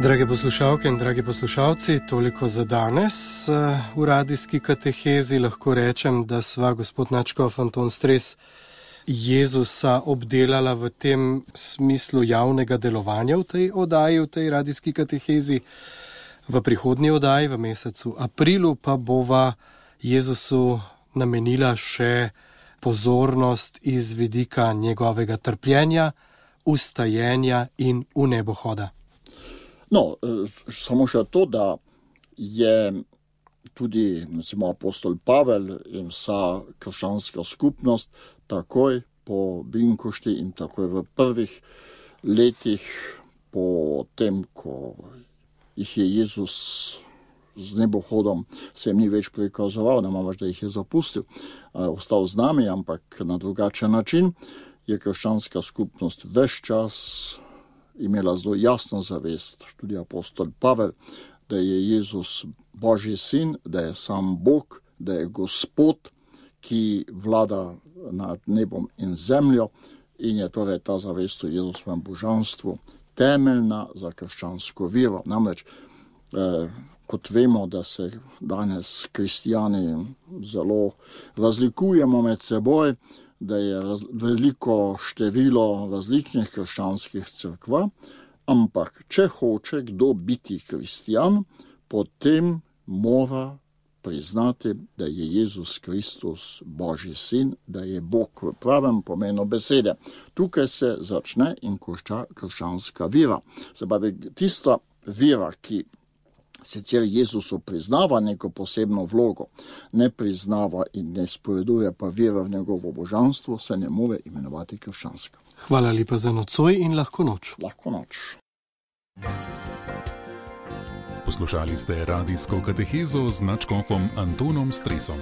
Drage poslušalke in dragi poslušalci, toliko za danes. V radijski katehezi lahko rečem, da sva gospod nadškof Anton Stres Jezusa obdelala v tem smislu javnega delovanja v tej oddaji, v tej radijski katehezi. V prihodnji oddaji, v mesecu aprilu, pa bova Jezusu namenila še pozornost iz vidika njegovega trpljenja, ustajenja in vnebohoda. No, samo še to, da je tudi apostol Pavel in vsa krščanska skupnost takoj po Binkošti in takoj v prvih letih po tem, ko jih je Jezus z nebohodom se jim ni več prikazoval, ne imamo več, da jih je zapustil, ostal z nami, ampak na drugačen način, je krščanska skupnost ves čas imela zelo jasno zavest, tudi apostol Pavel, da je Jezus Božji sin, da je sam Bog, da je Gospod, ki vlada nad nebom in zemljo in je torej ta zavest o Jezusovem božanstvu temeljna za krščansko vero. Namreč Kot vemo, da se danes kristijani zelo razlikujemo med seboj, da je veliko število različnih krščanskih cerkva, ampak če hoče kdo biti kristijan, potem mora priznati, da je Jezus Kristus Božji sin, da je Bog v pravem pomenu besede. Tukaj se začne in konča krščanska vera. Se pravi, tista vera, ki sicer Jezusu priznava neko posebno vlogo, ne priznava in ne spoveduje pa vera v njegovo božanstvo, se ne more imenovati krščanska. Hvala lepa za nocoj in lahko noč. Lahko noč. Poslušali ste radijsko katehezo z nadškofom Antonom Stresom.